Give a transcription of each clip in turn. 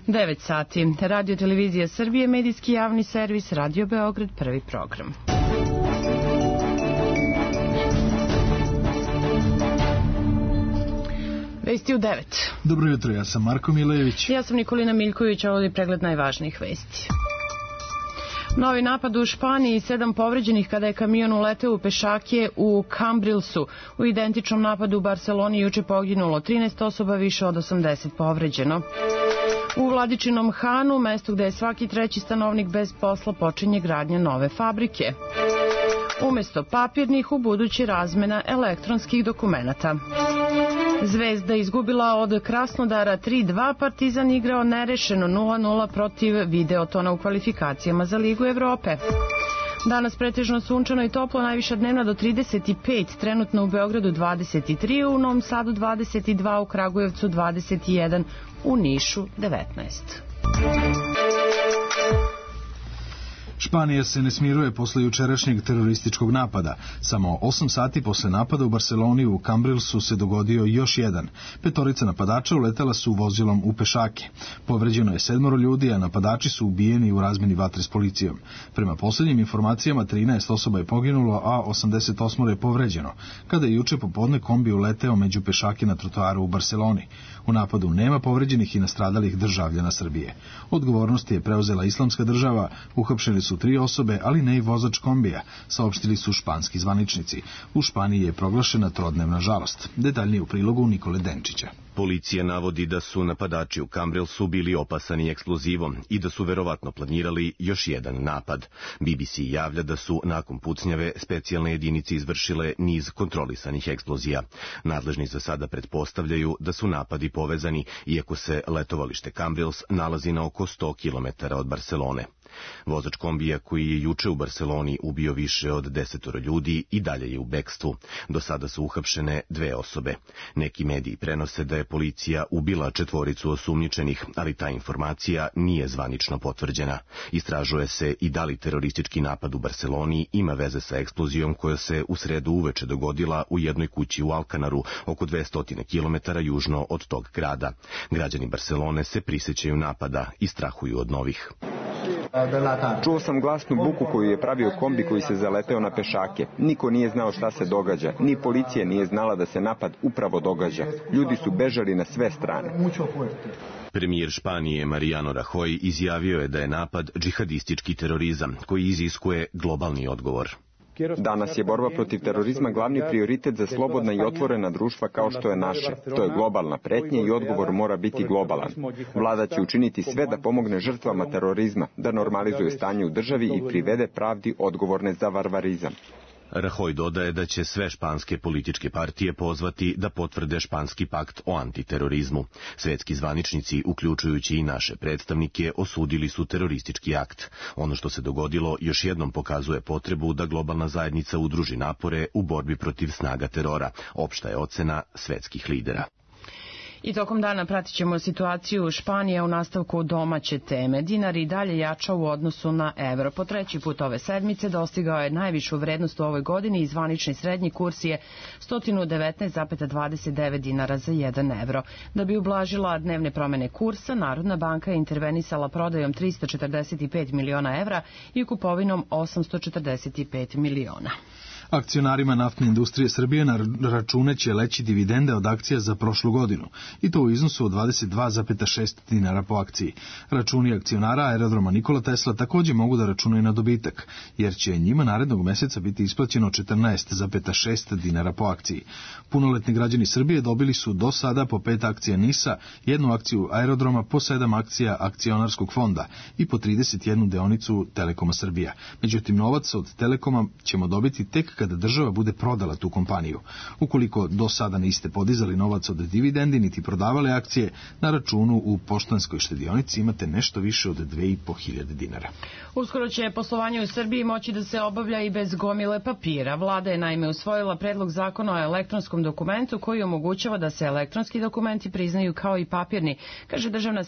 9 sati. Radio Televizija Srbije, medijski javni servis, Radio Beograd, prvi program. Vesti u 9. Dobro jutro, ja sam Marko Milejević. Ja sam Nikolina Miljković, a ovdje pregled najvažnijih vesti. Novi napad u Španiji, 7 povređenih kada je kamion uleteo u pešake u Cambrilsu. U identičnom napadu u Barceloni juče poginulo 13 osoba, više od 80 povređeno. U Vladičinom Hanu, mestu gde je svaki treći stanovnik bez posla, počinje gradnja nove fabrike. Umesto papirnih, u budući razmena elektronskih dokumenata. Zvezda izgubila od Krasnodara 3-2, Partizan igrao nerešeno 0-0 protiv Videotona u kvalifikacijama za Ligu Evrope. Danas pretežno sunčano i toplo, najviša dnevna do 35, trenutno u Beogradu 23, u Novom Sadu 22, u Kragujevcu 21, u Nišu 19. Španija se ne smiruje posle jučerašnjeg terorističkog napada. Samo 8 sati posle napada u Barceloni u Cambrilsu se dogodio još jedan. 5 napadača uletela su vozilom u pešake. Povređeno je 7 ljudi, a napadači su ubijeni u razmeni vatre s policijom. Prema poslednjim informacijama 13 osoba je poginulo, a 88 je povređeno, kada je juče popodne kombi uleteo među pešake na trotoaru u Barceloni. U napadu nema povređenih i nastradalih državljana Srbije. Odgovornost je preuzela Islamska država, uhapšeni su 3 osobe, ali ne i vozač kombija, saopštili su španski zvaničnici. U Španiji je proglašena trodnevna žalost. Detaljnije u prilogu Nikole Denčića. Policija navodi da su napadači u Cambrilsu bili opasani eksplozivom i da su verovatno planirali još jedan napad. BBC javlja da su nakon pucnjave specijalne jedinice izvršile niz kontrolisanih eksplozija. Nadležni za sada pretpostavljaju da su napadi povezani, iako se letovalište Cambrils nalazi na oko 100 km od Barcelone. Vozač kombija koji je juče u Barceloni ubio više od 10 ljudi i dalje je u bekstvu. Do sada su uhapšene 2 osobe. Neki mediji prenose da je policija ubila 4 osumnjičenih, ali ta informacija nije zvanično potvrđena. Istražuje se i da li teroristički napad u Barceloni ima veze sa eksplozijom koja se u sredu uveče dogodila u jednoj kući u Alcanaru, oko 200 km južno od tog grada. Građani Barcelone se prisećaju napada i strahuju od novih. Čuo sam glasnu buku koju je pravio kombi koji se zaleteo na pešake. Niko nije znao šta se događa. Ni policija nije znala da se napad upravo događa. Ljudi su bežali na sve strane. Premijer Španije Mariano Rajoy izjavio je da je napad džihadistički terorizam koji iziskuje globalni odgovor. Danas je borba protiv terorizma glavni prioritet za slobodna i otvorena društva kao što je naše. To je globalna pretnja i odgovor mora biti globalan. Vlada će učiniti sve da pomogne žrtvama terorizma, da normalizuje stanje u državi i privede pravdi odgovorne za varvarizam. Rajoy dodaje da će sve španske političke partije pozvati da potvrde španski pakt o antiterorizmu. Svetski zvaničnici, uključujući i naše predstavnike, osudili su teroristički akt. Ono što se dogodilo još jednom pokazuje potrebu da globalna zajednica udruži napore u borbi protiv snaga terora. Opšta je ocena svetskih lidera. I tokom dana pratit ćemo situaciju Španije u nastavku domaće teme. Dinar i dalje jača u odnosu na evro. Po 3. put ove sedmice dostigao je najvišu vrednost u ovoj godini i zvanični srednji kurs je 119,29 dinara za 1 evro. Da bi ublažila dnevne promene kursa, Narodna banka je intervenisala prodajom 345 miliona evra i kupovinom 845 miliona. Akcionarima naftne industrije Srbije na račune će leći dividende od akcija za prošlu godinu, i to u iznosu od 22,6 dinara po akciji. Računi akcionara aerodroma Nikola Tesla takođe mogu da računaju na dobitak, jer će njima narednog meseca biti isplaćeno 14,6 dinara po akciji. Punoletni građani Srbije dobili su do sada po 5 akcija NIS-a, 1 akciju aerodroma, po 7 akcija akcionarskog fonda i po 31 deonicu Telekoma Srbija. Međutim, novac od Telekoma ćemo dobiti tek kada država bude prodala tu kompaniju. Ukoliko do sada niste podizali novac od dividendi niti prodavali akcije, na računu u Poštanskoj štedionici imate nešto više od 2.500 dinara. Uskoro će poslovanje u Srbiji moći da se obavlja i bez gomile papira. Vlada je naime usvojila predlog zakona o elektronskom dokumentu koji omogućava da se elektronski dokumenti priznaju kao i papirni, kaže državna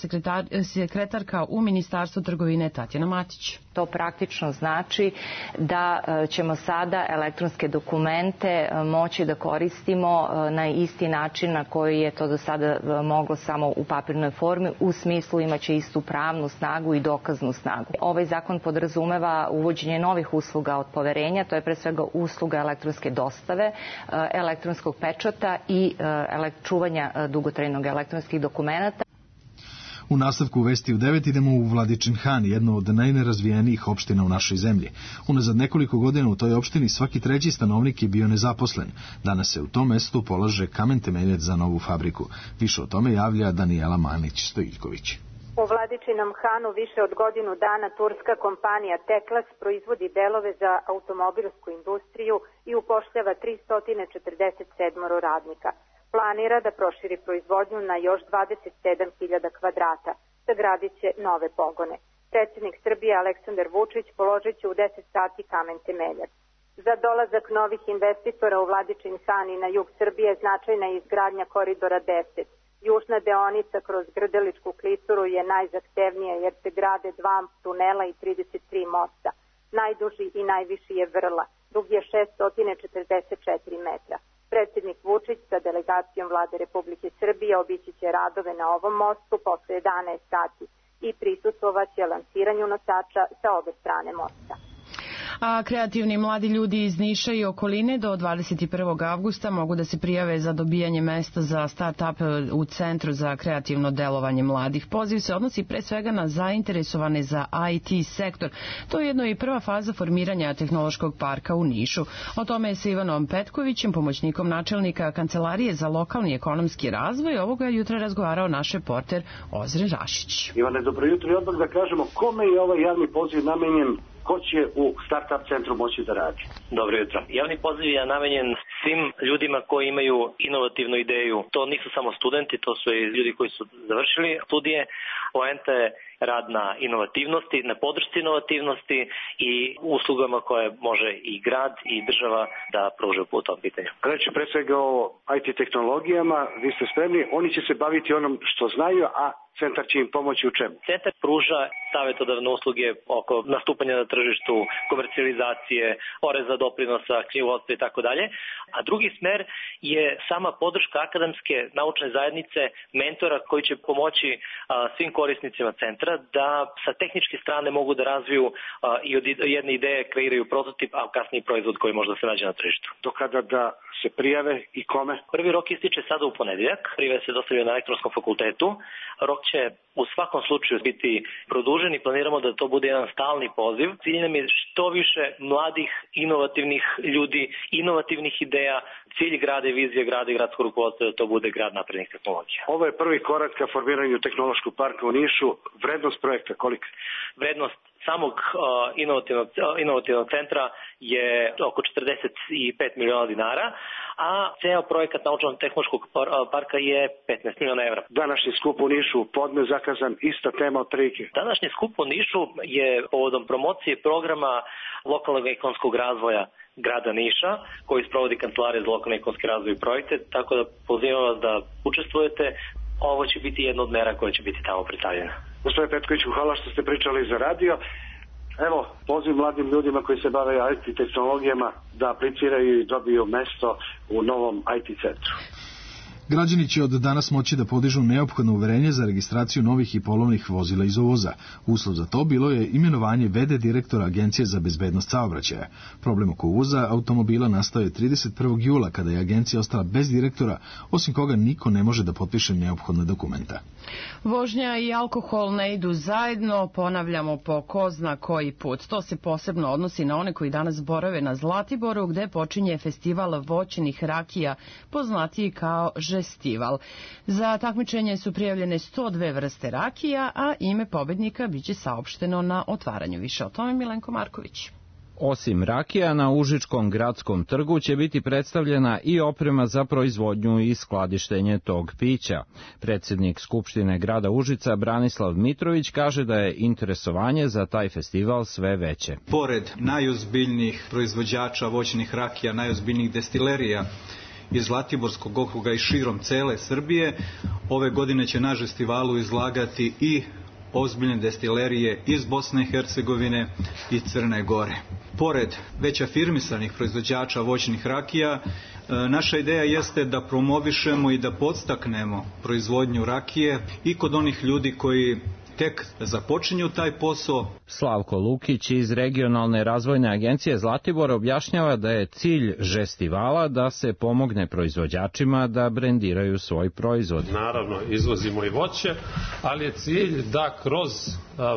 sekretarka u Ministarstvu trgovine Tatjana Matić. To praktično znači da ćemo sada elektronske dokumente moći da koristimo na isti način na koji je to do sada moglo samo u papirnoj formi, u smislu imaće istu pravnu snagu i dokaznu snagu. Ovaj zakon podrazumeva uvođenje novih usluga od poverenja, to je pre svega usluga elektronske dostave, elektronskog pečata i čuvanja dugotrajnog elektronskih dokumenata. U nastavku vesti u 9 idemo u Vladičin Han, jedno od najnerazvijenijih opština u našoj zemlji. Unazad nekoliko godina u toj opštini svaki treći stanovnik je bio nezaposlen. Danas se u tom mestu polaže kamen temeljac za novu fabriku. Više o tome javlja Danijela Manić-Stojiljković. U Vladičinom Hanu više od godinu dana turska kompanija Teklas proizvodi delove za automobilsku industriju i upošljava 347 radnika. Planira da proširi proizvodnju na još 27.000 kvadrata. Sagradit će nove pogone. Predsjednik Srbije Aleksandar Vučić položit će u 10 sati kamen temeljac. Za dolazak novih investitora u Vladičin Han i na jug Srbije značajna je izgradnja koridora 10. Južna deonica kroz Grdeličku klisuru je najzahtevnija jer se grade 2 tunela i 33 mosta. Najduži i najviši je Vrla, dug je 644 metra. Predsjednik Vučić sa delegacijom Vlade Republike Srbije obići će radove na ovom mostu posle 11 sati i prisustvovaće lansiranju nosača sa obe strane mosta. A kreativni mladi ljudi iz Niša i okoline do 21. avgusta mogu da se prijave za dobijanje mesta za start-up u Centru za kreativno delovanje mladih. Poziv se odnosi pre svega na zainteresovane za IT sektor. To je jedno i prva faza formiranja tehnološkog parka u Nišu. O tome je sa Ivanom Petkovićem, pomoćnikom načelnika Kancelarije za lokalni ekonomski razvoj, ovoga jutra razgovarao naš reporter Ozren Rašić. Ivane, dobro jutro i odmah da kažemo kome je ovaj javni poziv namenjen. Ko će u Startup centru moći da radi? Dobro jutro. Javni poziv je namenjen svim ljudima koji imaju inovativnu ideju. To nisu samo studenti, to su i ljudi koji su završili studije. Poenta je rad na inovativnosti, na podršci inovativnosti i uslugama koje može i grad i država da pruže po tom pitanju. Reći pre svega o IT tehnologijama, vi ste spremni, oni će se baviti onom što znaju, a centar će im pomoći u čemu? Centar pruža savjetodavne usluge oko nastupanja na tržištu, komercijalizacije, poreza, doprinosa, knjigovodstva i tako dalje. A drugi smer je sama podrška akademske naučne zajednice, mentora koji će pomoći svim korisnicima centra da sa tehničke strane mogu da razviju i od jedne ideje kreiraju prototip, a kasniji proizvod koji može da se nađe na tržištu. Do kada da se prijave i kome? Prvi rok ističe sada u ponedeljak. Prijave se dostavljaju na elektronskom fakultetu. Rok će u svakom slučaju biti produžen i planiramo da to bude jedan stalni poziv. Cilj nam je što više mladih, inovativnih ljudi, inovativnih ideja. Cilj grada i vizija grada i gradskog rukovodstva da to bude grad naprednih tehnologija. Ovo je prvi korak ka formiranju tehnološkog parka u Nišu. Vrednost projekta kolika? Vrednost samog inovativnog centra je oko 45 miliona dinara, a ceo projekat naučno-tehnološkog parka je 15 miliona evra. Današnji skup u Nišu, podne zakazan, ista tema od prilike. Današnji skup u Nišu je povodom promocije programa lokalnog ekonomskog razvoja grada Niša, koji sprovodi Kancelarija za lokalni ekonomski razvoj i projekte, tako da pozivam vas da učestvujete. Ovo će biti jedna od mera koja će biti tamo predstavljena. Gospodine Petkoviću, hvala što ste pričali za radio. Evo, poziv mladim ljudima koji se bave IT tehnologijama da apliciraju i dobiju mesto u novom IT centru. Građani će od danas moći da podižu neophodno uverenje za registraciju novih i polovnih vozila iz uvoza. Uslov za to bilo je imenovanje v.d. direktora Agencije za bezbednost saobraćaja. Problem oko uvoza automobila nastao je 31. jula kada je agencija ostala bez direktora, osim koga niko ne može da potpiše neophodna dokumenta. Vožnja i alkohol ne idu zajedno, ponavljamo po ko zna koji put. To se posebno odnosi na one koji danas borave na Zlatiboru, gde počinje festival voćnih rakija, poznatiji kao Žestival. Za takmičenje su prijavljene 102 vrste rakija, a ime pobednika biće saopšteno na otvaranju. Više o tome Milenko Marković. Osim rakija, na Užičkom gradskom trgu će biti predstavljena i oprema za proizvodnju i skladištenje tog pića. Predsjednik Skupštine grada Užica Branislav Mitrović kaže da je interesovanje za taj festival sve veće. Pored najozbiljnijih proizvođača voćnih rakija, najozbiljnijih destilerija iz Zlatiborskog okruga i širom cele Srbije, ove godine će na Žestivalu izlagati i ozbiljne destilerije iz Bosne i Hercegovine i Crne Gore. Pored već afirmisanih proizvođača voćnih rakija, naša ideja jeste da promovišemo i da podstaknemo proizvodnju rakije i kod onih ljudi koji tek započinju taj posao. Slavko Lukić iz Regionalne razvojne agencije Zlatibor objašnjava da je cilj Žestivala da se pomogne proizvođačima da brendiraju svoj proizvod. Naravno, izvozimo i voće, ali je cilj da kroz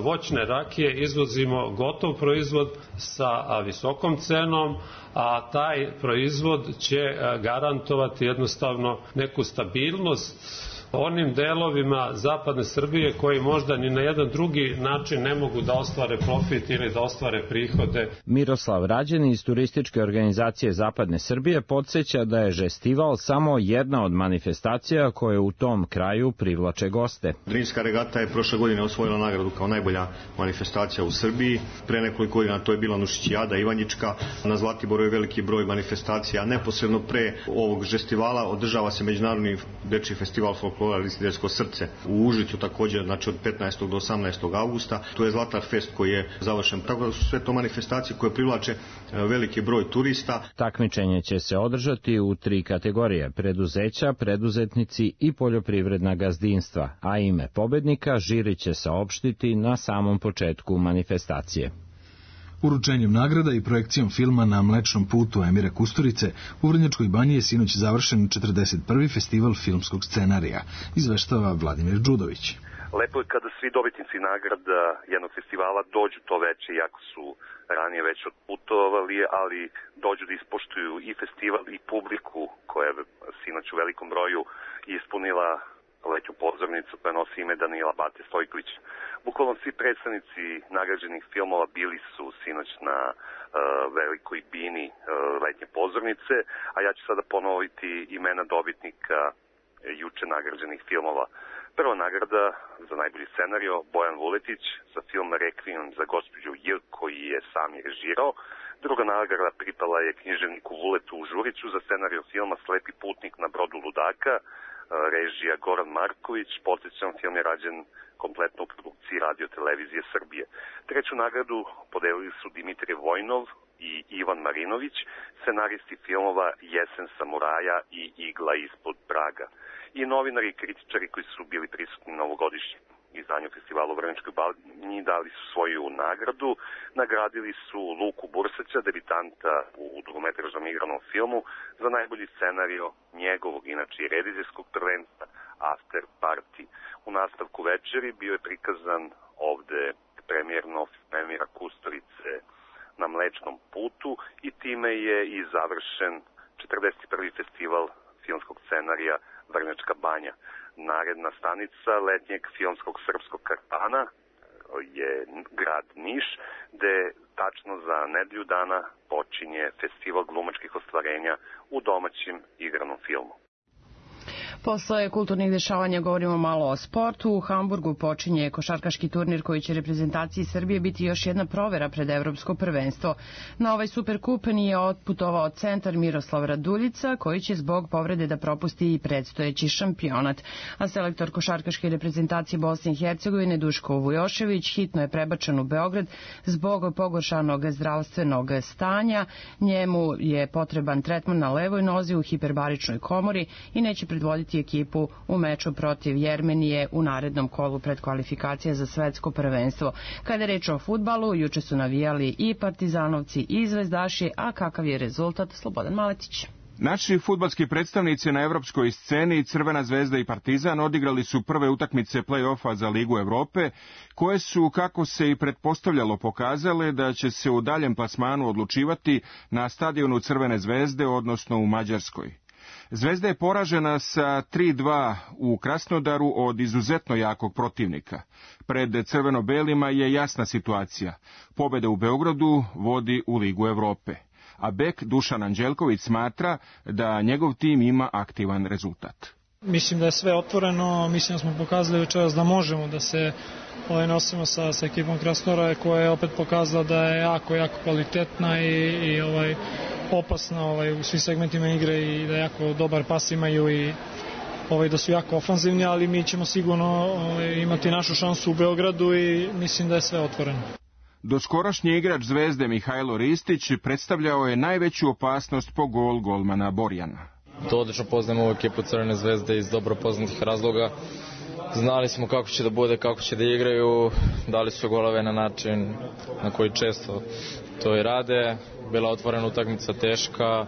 voćne rakije izvozimo gotov proizvod sa visokom cenom, a taj proizvod će garantovati jednostavno neku stabilnost onim delovima zapadne Srbije koji možda ni na jedan drugi način ne mogu da ostvare profit ili da ostvare prihode. Miroslav Rađen iz turističke organizacije Zapadne Srbije podsjeća da je Žestival samo jedna od manifestacija koje u tom kraju privlače goste. Drinska regata je prošle godine osvojila nagradu kao najbolja manifestacija u Srbiji. Pre nekoliko godina to je bila Nušićijada Ivanjička. Na Zlatiboru je veliki broj manifestacija. Neposredno pre ovog Žestivala održava se Međunarodni dečiji festival folklora Listidersko srce u Užicu također, znači od 15. do 18. augusta. To je Zlatar Fest koji je završen. Tako da su sve to manifestacije koje privlače veliki broj turista. Takmičenje će se održati u 3 kategorije: preduzeća, preduzetnici i poljoprivredna gazdinstva, a ime pobednika žiri će saopštiti na samom početku manifestacije. Uručenjem nagrada i projekcijom filma Na Mlečnom putu Emira Kusturice u Vrnjačkoj Banji je sinoć završen 41. festival filmskog scenarija, izveštava Vladimir Đudović. Lepo je kada svi dobitnici nagrada jednog festivala dođu to veče, iako su ranije već odputovali, ali dođu da ispoštuju i festival i publiku koja je sinoć u velikom broju ispunila letnju pozornicu koja nosi ime Danila Bate Stojkovića. Bukvalno svi predstavnici nagrađenih filmova bili su sinoć na velikoj bini letnje pozornice, a ja ću sada ponoviti imena dobitnika juče nagrađenih filmova. Prva nagrada za najbolji scenario Bojan Vuletić za film Rekvijum za gospođu J, koji je sam i režirao. Druga nagrada pripala je književniku Vuletu Žuriću za scenario filma Slepi putnik na brodu ludaka, režija Goran Marković. Podsjećam, film je rađen kompletno u produkciji Radio Televizije Srbije. Treću nagradu podelili su Dimitrij Vojnov i Ivan Marinović, scenaristi filmova Jesen samuraja i Igla ispod praga. I novinari i kritičari koji su bili prisutni na ovogodišnjem izdanju festivala u Vrnjačkoj Banji dali su svoju nagradu. Nagradili su Luku Bursaća, debitanta u dugometražnom igranom filmu, za najbolji scenario njegovog, inače i redizijskog prvenstva After Party. U nastavku večeri bio je prikazan ovde premijerno Emira Kusturice Na Mlečnom putu i time je i završen 41. festival filmskog scenarija Vrnjačka Banja. Naredna stanica letnjeg filmskog srpskog kartana je grad Niš, gde tačno za nedelju dana počinje festival glumačkih ostvarenja u domaćem igranom filmu. Posle kulturnih dešavanja govorimo malo o sportu. U Hamburgu počinje košarkaški turnir koji će reprezentaciji Srbije biti još jedna provera pred evropsko prvenstvo. Na ovaj Superkup nije otputovao centar Miroslav Raduljica, koji će zbog povrede da propusti i predstojeći šampionat. A selektor košarkaške reprezentacije Bosne i Hercegovine Duško Vujošević hitno je prebačen u Beograd zbog pogoršanog zdravstvenog stanja. Njemu je potreban tretman na levoj nozi u hiperbaričnoj komori i neće predvoditi ekipu u meču protiv Jermenije u narednom kolu predkvalifikacija za svetsko prvenstvo. Kada je reč o fudbalu, juče su navijali i partizanovci i zvezdaši, a kakav je rezultat? Slobodan Maletić. Naši fudbalski predstavnici na evropskoj sceni, Crvena zvezda i Partizan, odigrali su prve utakmice play-offa za Ligu Evrope, koje su, kako se i pretpostavljalo, pokazale da će se u daljem plasmanu odlučivati na stadionu Crvene zvezde, odnosno u Mađarskoj. Zvezda je poražena sa 3-2 u Krasnodaru od izuzetno jakog protivnika. Pred crveno-belima je jasna situacija. Pobeda u Beogradu vodi u Ligu Evrope. A bek Dušan Anđelković smatra da njegov tim ima aktivan rezultat. Mislim da je sve otvoreno, mislim da smo pokazali večeras da možemo da se nosimo sa ekipom Krasnodara, koja je opet pokazala da je jako kvalitetna i opasna u svim segmentima igre i da jako dobar pas imaju i da su jako ofanzivni, ali mi ćemo sigurno imati našu šansu u Beogradu i mislim da je sve otvoreno. Doskorašnji igrač Zvezde Mihajlo Ristić predstavljao je najveću opasnost po gol golmana Borjana. To odlično poznajemo ovu ekipu Crvene Zvezde iz dobro poznatih razloga. Znali smo kako će da bude, kako će da igraju, dali su golove na način na koji često to i rade. Bila otvorena utakmica, teška,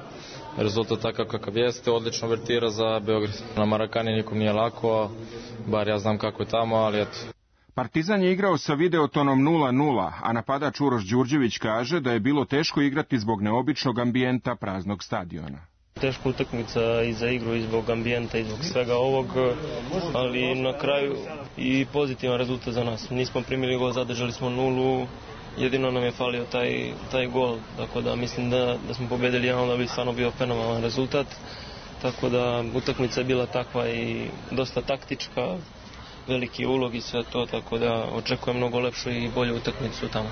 rezultat takav kakav jeste, odlično vertira za Beograd. Na Marakani nikom nije lako, bar ja znam kako je tamo, ali eto. Partizan je igrao sa videotonom 0:0, a napadač Uroš Đurđević kaže da je bilo teško igrati zbog neobičnog ambijenta praznog stadiona. Teška utakmica i za igru, i zbog ambijenta, i zbog svega ovog, ali na kraju i pozitivan rezultat za nas. Nismo primili gol, zadržali smo 0, jedino nam je falio taj gol, tako da mislim da smo pobedili, onda bi stvarno bio fenomenalan rezultat, tako da utakmica je bila takva i dosta taktička, veliki ulog i sve to, tako da očekujem mnogo lepšu i bolju utakmicu tamo.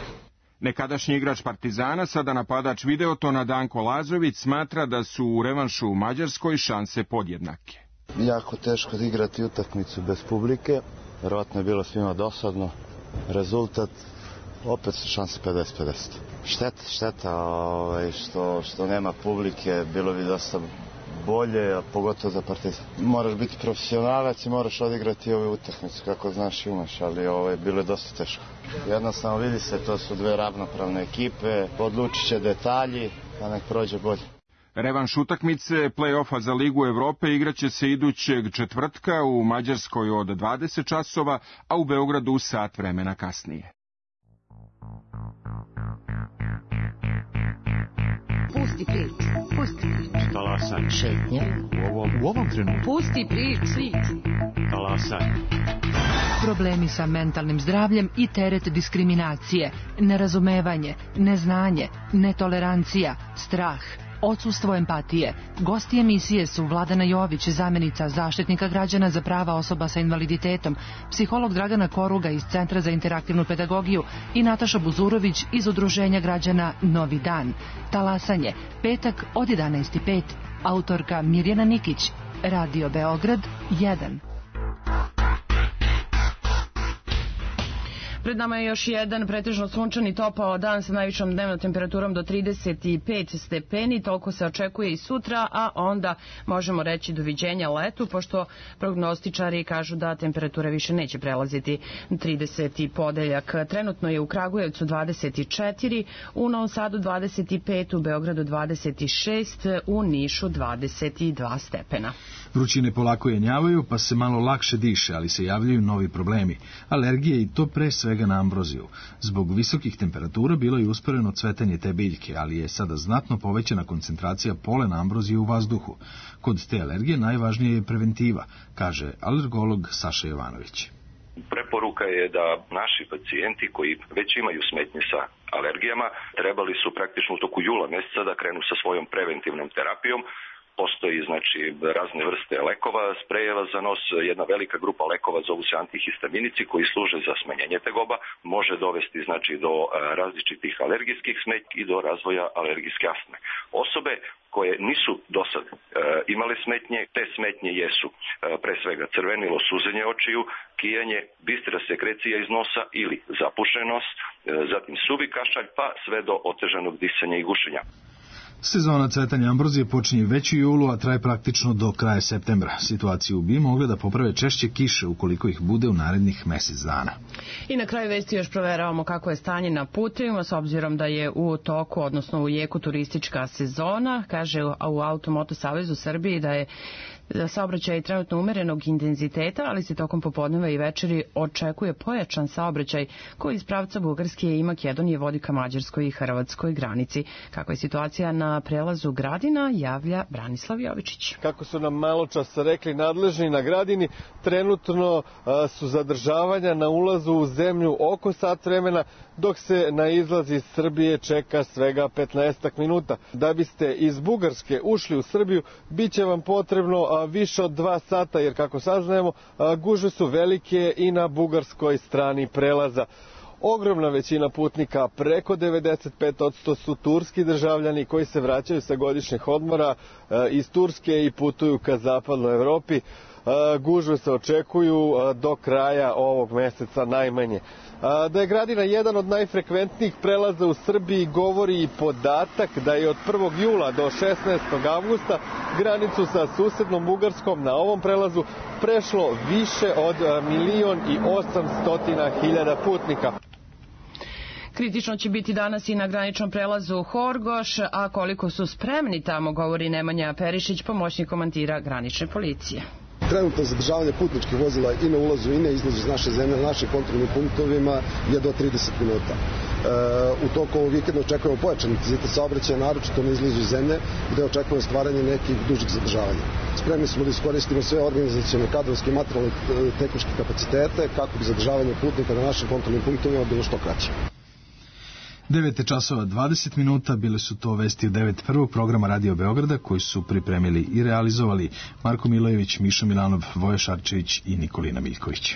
Nekadašnji igrač Partizana, sada napadač Videotona Danko Lazović, smatra da su u revanšu u Mađarskoj šanse podjednake. Jako teško igrati utakmicu bez publike, verovatno je bilo svima dosadno. Rezultat, opet su šanse 50-50. Šteta što nema publike, bilo bi dosta bolje, a pogotovo za Partizan. Moraš biti profesionalac i moraš odigrati ove utakmice kako znaš i umeš, ali bilo je dosta teško. Jednostavno vidi se, to su dve ravnopravne ekipe, odlučit će detalji, a nek prođe bolje. Revanš utakmice play-offa za Ligu Evrope igraće se idućeg četvrtka u Mađarskoj od 20 časova, a u Beogradu sat vremena kasnije. Pusti priču. Talasaj. Šetnja. U ovom trenutku. Pusti priču. Talasaj. Problemi sa mentalnim zdravljem i teret diskriminacije, nerazumevanje, neznanje, netolerancija, strah, odsustvo empatije. Gosti emisije su Vladana Jović, zamenica Zaštitnika građana za prava osoba sa invaliditetom, psiholog Dragana Koruga iz Centra za interaktivnu pedagogiju i Nataša Buzurović iz Udruženja građana Novi dan. Talasanje, petak od 11:05. Autorka Mirjana Nikić. Radio Beograd 1. Pred nama je još jedan pretežno sunčani topao dan sa najvišom dnevnom temperaturom do 35 stepeni. Toliko se očekuje i sutra, a onda možemo reći doviđenja letu, pošto prognostičari kažu da temperatura više neće prelaziti 30 podeljak. Trenutno je u Kragujevcu 24, u Novom Sadu 25, u Beogradu 26, u Nišu 22 stepena. Vrućine polako jenjavaju, pa se malo lakše diše, ali se javljaju novi problemi. Alergije i to pre svega na ambroziju. Zbog visokih temperatura bilo je usporeno cvetanje te biljke, ali je sada znatno povećana koncentracija polena ambrozije u vazduhu. Kod te alergije najvažnija je preventiva, kaže alergolog Saša Jovanović. Preporuka je da naši pacijenti koji već imaju smetnje sa alergijama trebali su praktično u toku jula meseca da krenu sa svojom preventivnom terapijom. Postoji razne vrste lekova, sprejeva za nos, jedna velika grupa lekova zovu se antihistaminici koji služe za smanjenje tegoba, može dovesti do različitih alergijskih smetnji i do razvoja alergijske astme. Osobe koje nisu do sad imale smetnje, te smetnje jesu pre svega crvenilo, suzenje očiju, kijanje, bistra sekrecija iz nosa ili zapušen nos, zatim suvi kašalj pa sve do otežanog disanja i gušenja. Sezona cvetanja ambrozije počinje već u julu, a traje praktično do kraja septembra. Situaciju bi mogle da poprave češće kiše ukoliko ih bude u narednih mesec dana. I na kraju vesti još proveravamo kako je stanje na putevima, s obzirom da je u toku, odnosno u jeku turistička sezona. Kaže u Automoto Savezu Srbije da je saobraćaj trenutno umerenog intenziteta, ali se tokom popodneva i večeri očekuje pojačan saobraćaj koji iz pravca Bugarske i Makedonije vodi ka mađarskoj i hrvatskoj granici. Kakva je situacija na prelazu Gradina, javlja Branislav Jovičić. Kako su nam malo čas rekli nadležni na Gradini, trenutno su zadržavanja na ulazu u zemlju oko sat vremena, dok se na izlaz iz Srbije čeka svega 15 minuta. Da biste iz Bugarske ušli u Srbiju, bit će vam potrebno više od 2 sata, jer kako saznajemo, gužve su velike i na bugarskoj strani prelaza. Ogromna većina putnika, preko 95% su turski državljani koji se vraćaju sa godišnjih odmora iz Turske i putuju ka zapadnoj Evropi. gužve se očekuju do kraja ovog meseca najmanje. Da je Gradina jedan od najfrekventnijih prelaza u Srbiji govori i podatak da je od 1. jula do 16. avgusta granicu sa susednom Bugarskom na ovom prelazu prešlo više od 1.800.000 putnika. Kritično će biti danas i na graničnom prelazu Horgoš, a koliko su spremni tamo, govori Nemanja Perišić, pomoćnik komandira granične policije. Trenutno zadržavanje putničkih vozila i na ulazu i na izlazu iz naše zemlje na našim kontrolnim punktovima je do 30 minuta. U toku ovog vikenda očekujemo pojačan intenzitet saobraćaja, naročito na izlazu iz zemlje, gde očekujemo stvaranje nekih dužih zadržavanja. Spremni smo da iskoristimo sve organizacione, kadrovske i materijalne tehničke kapacitete kako bi zadržavanje putnika na našim kontrolnim punktovima bilo što kraće. 9 časova 20 minuta, bile su to vesti u 9. programa Radio Beograda koji su pripremili i realizovali Marko Milojević, Miša Milanov, Voja Šarčević i Nikolina Miljković.